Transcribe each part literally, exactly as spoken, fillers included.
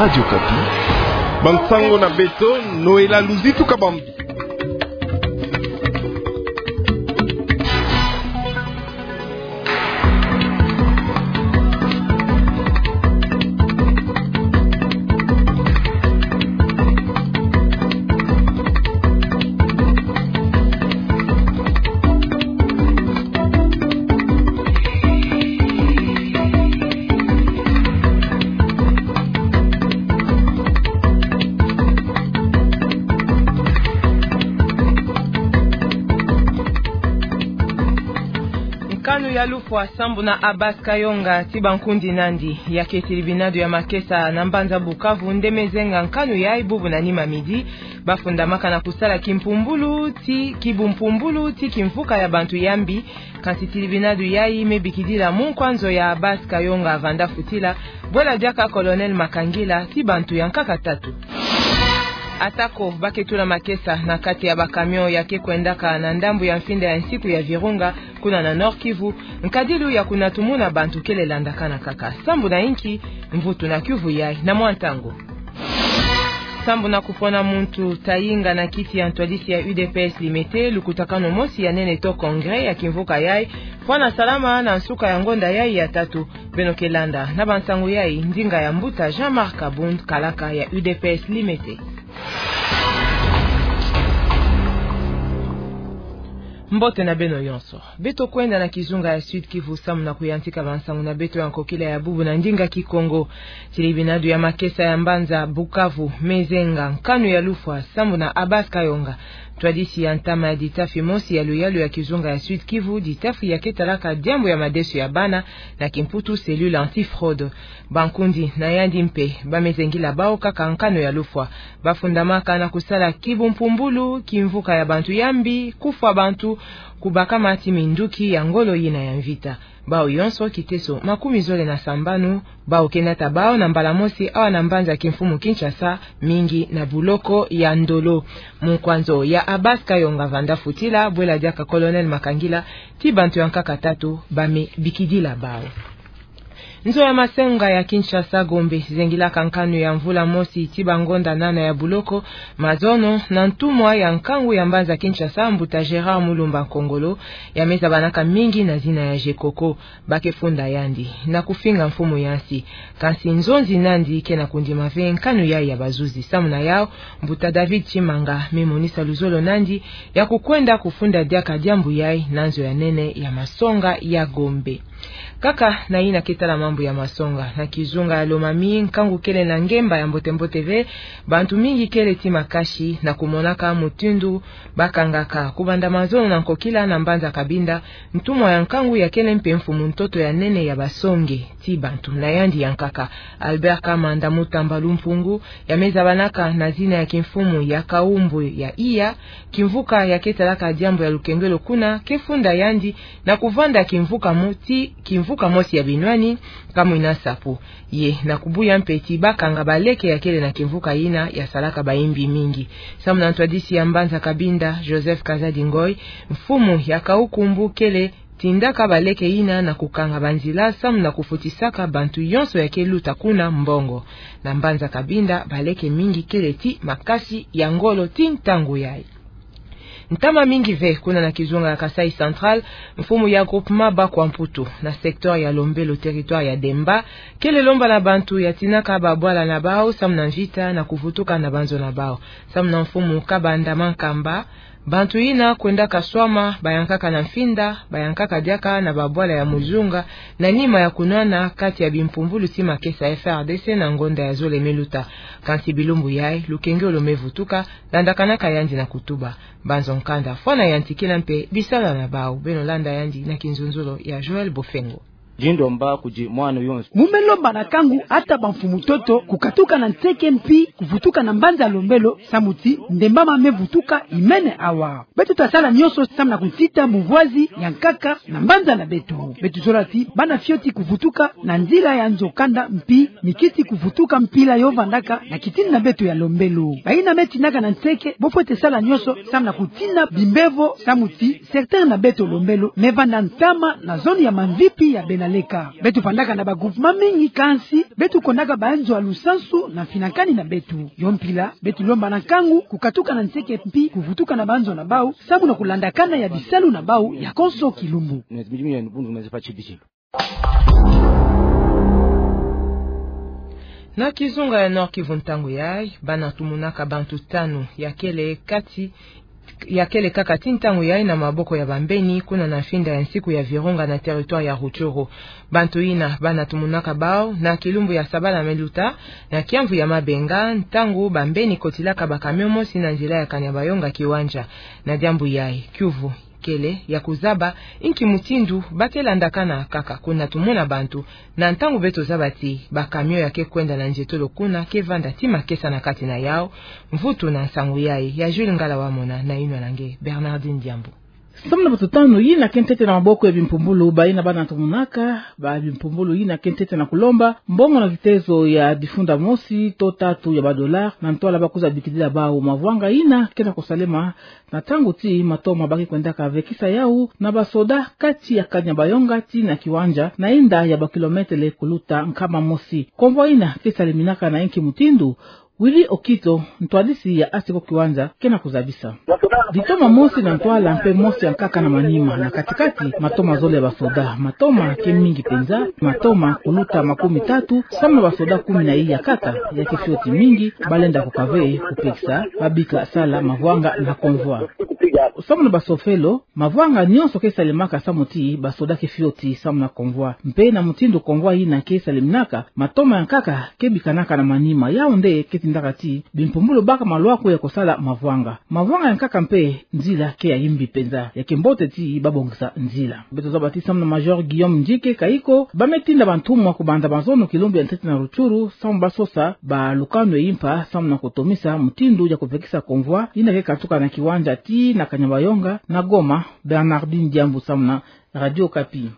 Radio Okapi. Bansango na beto, Noëlla Luzitu Kabambi. Nkanu ya lufwa sambu na Abbas Kayonga ti bankundi nandi, ya ke tilibinadu ya makesa na mbanza Bukavu nde me zenga nkanu yayi bubu na nima midi, bafundamaka na kusala kimpumbulu ti, kibumpumbulu ti kimvuka ya bantu ya mbi, kansi tilibinadu yayi me bikidila munkwa nzo ya Abbas Kayonga Vanda Futila, bwela diaka Colonel Makangila ti bantu ya nkaka tatu. Atako ba ke tula makesa na kati ya ba camion ya ke kwendaka na ndambu ya mfinda ya nsiku ya Virunga, kuna na Nord-Kivu, nkadilu ya kunatumuna bantu kele landakana kaka. Sambu na inki? Mvutu na kiuvu yayi na mwa ntangu. Sambu na kupona muntu ta yinga na kiti ya ntwadisi ya U D P S Limete, lukutakanu mosi ya nene to congrès ya kimvuka yayi fwana salama na nsuka ya ngonda yayi ya tatu. Beno ke landa na bansangu yayi ndinga ya mbuta Jean-Marc Kabund, kalaka ya U D P S Limete. Mbote na beno yonso. Beto kwenda na kizunga ya Sud-Kivu samu na kuyantika bansangu na beto ya nkokila ya bubu na ndinga Kikongo. Tilibinadu ya makesa ya mbanza Bukavu me zenga nkanu ya lufwa sambu na Abbas Kayonga, ntwadisi ya ntama ya ditafi mosi ya luyalu ya kizunga ya Sud-Kivu, ditafi ya ke talaka diambu ya madeso ya bana, na kimputu cellule anti-fraude. Bankundi na yandi mpe ba me zengila bawu kaka nkanu ya lufwa. Bafundamaka na kusala kibumpumbulu, kimvuka ya bantu ya mbi, kufwa bantu, kubakama ti minduki ya ngolo yina ya mvita. Bawu yonso kiteso makumi zole na sambanu, bawu ke nata bawu na mbala mosi awa na mbanza kimfumu Kinshasa, mingi na buloko ya Ndolo. Munkwa nzo ya Abbas Kayonga Vanda Futila, bwela diaka Colonel Makangila, ti bantu ya nkaka tatu ba me bikidila bawu. Nzo ya masonga ya Kinshasa Gombe zengilaka nkanu ya mvula mosi ti bangonda nana ya buloko, mazono na ntumwa ya nkangu ya mbanza Kinshasa, mbuta Gérard Mulumba Nkongolo, ya me zabanaka mingi na zina ya Gecoco. Ba ke funda yandi na kufinga mfumu ya nsi. Kansi nzonzi nandi ke na kundima ve nkanu yayi ya bazuzi. Samu na yawu, mbuta David Tshimanga me monisa luzolo nandi ya kukwenda kufunda diaka diambu yayi na nzo ya nene ya masonga ya Gombe. Kaka na yina ke tala mambu ya masonga, na kizunga ya Lomami, nkangu kele na ngemba ya mbote-mbote ve, bantu mingi kele ti makasi na kumonaka mutindu ba kangaka. Kubanda mazono na nkokila na mbanza Cabinda, ntumwa ya nkangu ya kele mpe mfumu-ntoto ya nene ya basonge ti bantu na yandi ya nkaka, Albert Kamanda Mutamba Lumpungu, ya me zabanaka na zina ya kimfumu ya Kaumbu ya Iya, kimvuka ya ke talaka diambu ya lukengelo kuna, ke funda yandi na kuvanda kimvuka mo-, ti kimvuka mosi ya binwani, kamwina sapu. Ye na kubuya mpe ti ba kanga baleke ya kele na kimvuka yina ya salaka bayimbi mingi. Samu na ntwadisi ya mbanza Cabinda, Joseph Kazadi Ngoy, mfumu ya Kaukumbu kele tindaka baleke yina na kukanga banzila samu na kufutisaka bantu yonso ya ke luta kuna mbongo. Na mbanza Cabinda, baleke mingi kele ti makasi ya ngolo ti ntangu yayi. Ntama mingi ve kuna na kizunga ya Kasaï Central, mfumu ya groupement Bakwa Mputu, na secteur ya Lombelo, territoire ya Demba, kele lomba na bantu ya tinaka babwala na bawu samu na mvita na kuvutuka na banzo na bawu. Samu na mfumu Kabanda Mankamba, bantu yina kwendaka swama, bayankaka na mfinda, bayankaka diaka na babwala ya muzunga, na nima ya kunwana kati ya bimpumbulu ti makesa F A R D C na ngonda ya zole me luta. Kansi bilumbu yayi, lukengelo me vutuka, landakanaka yandi na kutuba. Banzo nkanda fwana yantikila mpe bisala na bawu. Beno landa yandi na kinzonzolo ya Joël Bofengo. Djindomba kudi mwana yonso. Mu me lomba na nkangu ata bamfumu-ntoto kukatuka na nseke mpi kuvutuka na mbanza Lombelo, samu ti ndemba ma me vutuka imene awa. Beto ta sala nyonso samu na kutita muvwazi ya nkaka na mbanza na beto. Beto zola ti bana fioti kuvutuka na nzila ya nzo kanda mpi mikiti kuvutuka mpila yo vandaka na kitini na beto ya Lombelo. Bayina me tinaka na nseke, bo fwete sala nyonso samu na kutina bimbevo, samu ti secteur na beto Lombelo me vanda ntama na zone ya Mamvipi ya Bena Leka, beto vandaka na ba groupement mingi, kansi beto kondaka banzo ya lusansu na mfinakani na beto. Yo mpila, beto lomba na nkangu kukatuka na nseke mpi kuvutuka na banzo na bau, samu na kulandakana ya bisalu na bau ya konso kilumbu. Na kizunga ya Nord-Kivu, ntangu yayi bana tumonaka bantu tanu ya kele kati, ya kele kaka ti ntangu yayi na maboko ya bambeni, kuna na mfinda ya nsiku ya Virunga na territoire ya Rutshuru. Bantu yina bana tumonaka bau na kilumbu ya sabala meluta, na kiamvu ya mabenga, ntangu bambeni kotilaka ba camion mosi na nzila ya Kanyabayonga Kiwanja. Na diambu yayi, kiuvu kele ya kuzaba inki mutindu ba ke landakana kaka kuna tumona bantu, na ntangu beto zaba ti ba camion ya ke kwenda na nzietolo kuna ke vanda ti makesa na kati na yau. Mvutu na nsangu yayi ya Jules Ngala Wamona na yinwa na nge Bernardine Diambu. Samu na bato tanu yina ke ntete na maboko ya bimpumbulu, bayina bana tumonaka ba bimpumbulu yina ke ntete na kulomba mbongo na kitezo ya difunda mosi to tatu ya ba dollars, na ntwala ba kwiza bikidila bau mavwanga yina ke na kusalema na ntangu ti matoma ba ke kwendaka vekisa yau na basoda kati ya Kanyabayonga tii na Kiwanja, na inda ya ba kilometele kuluta nkama mosi. Convoi yina ke saleminaka na inki mutindu? Willy Okito, ntwadisi ya ASECO Kiwanja, ke na kuzabisa. Ditoma mosi na ntwala mpe mosi ya nkaka na manima, na kati-kati matoma zole ya basoda. Matoma ke mingi penza, matoma kuluta makumi tatu, samu na basoda kumi na iya kaka, ya ke fioti mingi, ba lenda kukave kupekisa ba bika sala mavwanga na convoi. Samu na basofelo, mavwanga nyonso ke salemaka samu ti basoda ke fioti samu na convoi. Mpe na mutindu convoi yina ke saleminaka, matoma ya nkaka ke bikanaka na manima, yau nde ke tindaka ti bimpumbulu baka malwaku ya kusala mavwanga. Mavwanga ya nkaka mpe nzila ke ya yimbi penza, ya ke mbote ti ba bongisa nzila. Beto zaba ti samu na Major Guillaume Ndjike Kayiko, ba me tinda bantumwa kubanda mazono kilumbu ya ntete na Rutshuru, samu ba sosa ba lukanu ya impa, samu na kutomisa mutindu ya kuvekisa convoi yina ke katuka na Kiwanja tii na Kanyabayonga. Na Goma, Bernardine Diambu samu na Radio Okapi.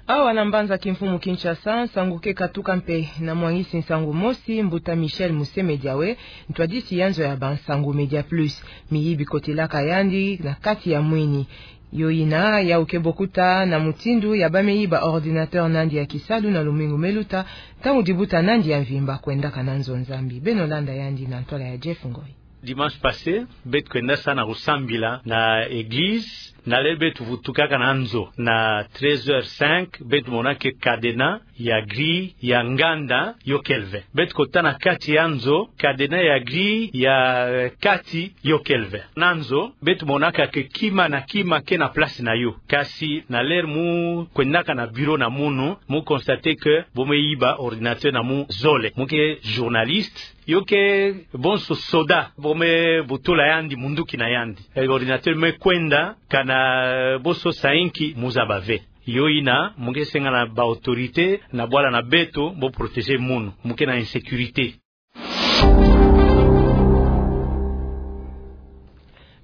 Awa na mbanza kimfumu Kinshasa, nsangu ke katuka mpe na mwangisi nsangu mosi, mbuta Michel Musemedi Awe, ntwadisi ya nzo ya bansangu Media Plus. Miyibi kotilaka yandi na kati ya mwini. Yo yina, yau ke bokuta na mutindu ya ba me yiba ordinateur nandi ya kisalu na lumingu meluta, ntangu dibuta nandi ya mvimba kwendaka na nzo Nzambi. Beno landa yandi na ntwala ya Jeff Ngoy. Dimanche passé, beto kwenda sa na kusambila na église, na lele beto vutukaka na nzo na treize heures cinq, beto mona que cadenas ya grille ya nganda yo kele ve. Beto kota na kati ya nzo, cadenas ya grille ya, eh, kati yo kele ve. Na nzo, beto monaka que kima na kima ke na place na yo. Kasi na l'heure mu kwendaka na bureau na munu, mu constater que bo me yiba ordinateur na mu zole. Mu ke journaliste, yo ke bonso soda, bo me butula yandi munduki na yandi. Eh, ordinateur me kwenda, kana bo sosa inki, mu zaba ve. Yo yina, mu ke senga na ba autorité na bwala na beto, bo protéger munu, mu ke na insécurité.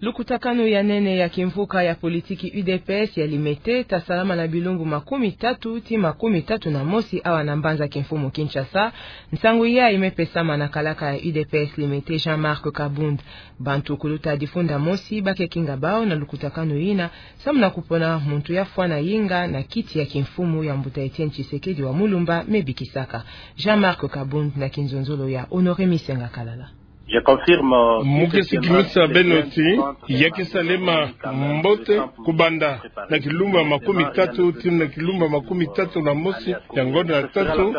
Lukutakanu ya nene ya kimvuka ya politiki U D P S ya Limete ta salama na bilumbu makumi tatu tii makumi tatu na mosi awa na mbanza kimfumu Kinshasa. Nsangu yayi me pesama na kalaka ya U D P S Limete, Jean-Marc Kabund. Bantu kuluta difunda mosi ba ke kinga bau na lukutakanu yina, samu na kupona muntu ya fwana yinga na kiti ya kimfumu ya mbuta Etienne Tshisekedi wa Mulumba, me bikisaka. Jean-Marc Kabund na kinzonzolo ya Honoré Misenga Kalala. Je confirme. Mu ke sikimisa beno ti ya ke salema mbote kubanda na kilumbu ya makumi tatu tii na kilumbu ya makumi tatu na mosi ya ngonda ya tatu.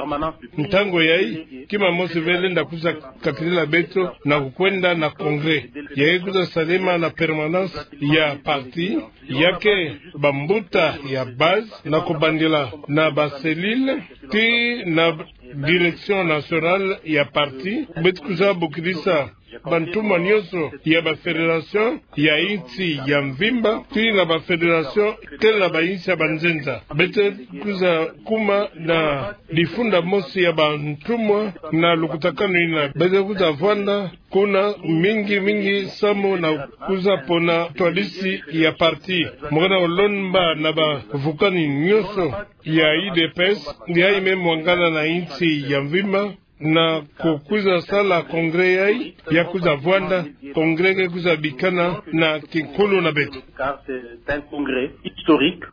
Ntangu yayi, kima mosi ve lenda kwiza katilila beto na kukwenda na congrès. Ya ke kwiza salema na permanence ya parti, ya ke bambuta ya base, na kubandila na ba cellule tii na direction nationale ya parti. Beto kwiza bokilisa bantumwa nyonso ya ba fédération ya insi ya mvimba, tii na ba fédération tele na ba insi ya banzenza. Beto kwiza kuma na difunda mosi ya bantumwa na lukutakanu yina. Beto kwiza vwanda kuna mingi mingi samu na kwiza pona ntwadisi ya parti. Mu ke na kulomba na bavukani nyonso ya U D P S, yayi me mwangana na insi ya mvimba, na kukwiza sala congrès yayi, ya kwiza vwanda, congrès ke kwiza bikana na kinkulu na beto. Car c'est un congrès historique.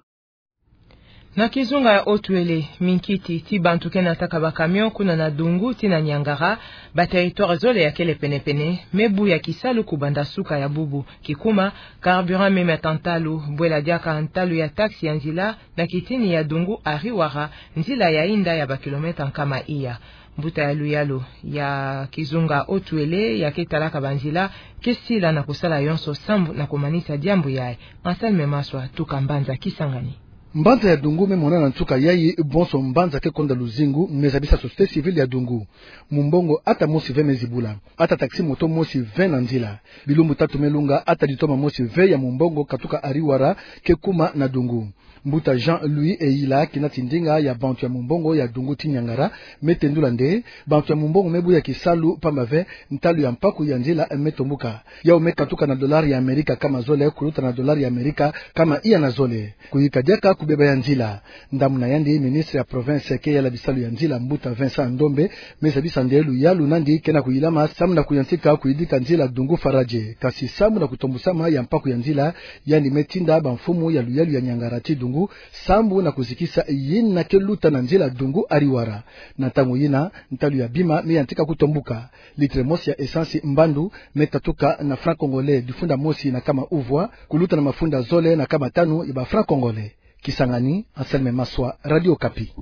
Na kizunga ya Haut-Uélé, minkiti ti bantu ke nataka ba camion kuna na Doungou tii na Niangara, ba territoire zole yakele penepene, me bu ya kisalu kubanda suka ya bubu. Kikuma, carburant meme ya tantalu, bwela diaka ntalu ya taxi ya nzila, na kitini ya Doungou Ariwara, nzila ya inda ya ba kilomètre nkama iya. Mbuta ya luyalu ya kizunga Haut-Uélé, ya ke talaka ba nzila, ke sila na kusala yonso sambu na kumanisa diambu yayi. Anselme Maswa, tuka mbanza Kisangani. Mbanza ya Doungou me monana nsuka yayi bonso mbanza ke konda luzingu, me zabisa société civile ya Doungou. Mumbongo ata mosi ve me zibula. Ata taxi-moto mosi ve na nzila. Bilumbu tatu me lunga ata ditoma mosi ve ya mumbongo katuka Ariwara ke kuma na Doungou. Mbuta Jean-Louis Eyila, kina tindinga ya bantu ya mumbongo ya Doungou tii Niangara, me tendula nde, bantu ya mumbongo me bu ya kisalu pamba ve, ntalu ya mpaku ya nzila me tombuka. Yau me katuka na dollar ya Amerika kama zole, kuluta na dollar ya Amerika kama iya na zole. Kuyika diaka kubeba ya nzila. Ndamuna yandi, ministre ya province ke yala bisalu ya nzila, mbuta Vincent Ndombe, me zabisa nde luyalu nandi ke na kuyilama sambu na kuyantika kuyidika nzila Doungou Faradje. Kasi sambu na kutombusama ya mpaku ya nzila, yandi me tinda ba mfumu ya luyalu ya Niangara tii Doungou, sambu na kuzikisa yina ke luta na nzila Doungou Ariwara. Na ntangu yina, ntalu ya bima me yantika kutombuka. Litre mosi ya essence mbandu me tatuka na franc congolais difunda mosi na kama uvwa, kuluta na mafunda zole na kama tanu ya ba franc congolais. Kisangani, Anselme Maswa, Radio Okapi.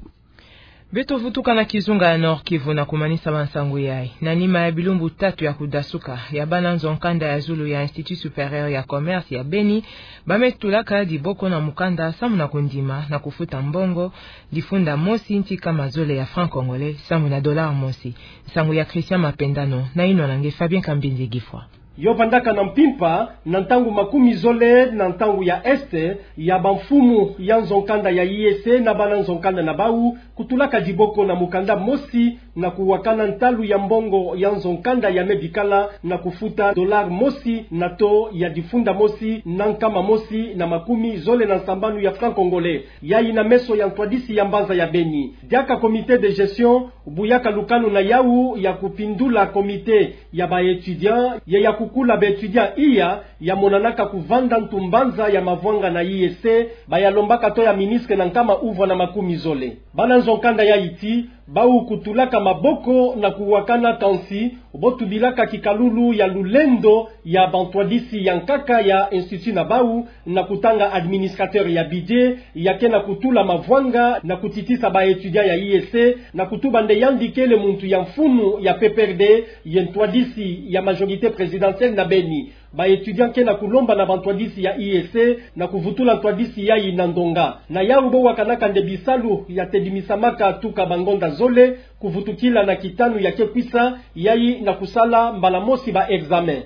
Beto vutuka na kizunga ya Nord-Kivu na kumanisa ba nsangu yayi. Na nima ya bilumbu tatu ya kudasuka ya bana nzo-nkanda ya zulu ya Institut Supérieur ya Commerce ya Beni, ba me tulaka diboko na mukanda sambu na kundima na kufuta mbongo difunda mosi nti kama zole ya franc congolais sambu na dollar mosi. Nsangu ya Christian Mapendano, na inwa na nge Fabien Kambinzi Gifwa. Yo vandaka na mpimpa, na ntangu makumi zole na ntangu ya est, ya ba mfumu ya nzo-nkanda ya I E C na bana nzo-nkanda na bau, kutulaka diboko na mukanda mosi, na kuwakana ntalu ya mbongo ya nzo-nkanda ya me bikala, na kufuta dollar mosi na taux ya difunda mosi na nkama mosi na makumi zole na nsambanu ya franc congolais. Yayi na meso ya ntwadisi ya mbanza ya Beni. Diaka comité de gestion bu yaka lukanu na yau ya kupindula comité ya ba étudiants, ya ya kukula ba étudiants iya, ya monanaka kuvanda ntu mbanza ya mavwanga na I E C, ba ya lombaka taux ya ministre na nkama uvwa na makumi zole. Bana nzo-nkanda yayi ti bau kutulaka maboko na kuwakana kansi bo tubilaka kikalulu ya lulendo ya ba ntwadisi ya nkaka ya institut na bau, na kutanga administrateur ya budget, ya ke na kutula mavwanga na kutitisa ba étudiants ya I E C, na kutuba nde yandi kele muntu ya mfunu ya P P R D, ye ntwadisi ya majorité présidentielle na Beni. Ba étudiants ke na kulomba na ba ntwadisi ya I E C na kuvutula ntwadisi yayi na ndonga. Na yau bo wakanaka nde bisalu ya tedimisamaka tuka ba ngonda zole kuvutukila na kitanu ya ke kwisa, yayi na kusala mbala mosi ba examen.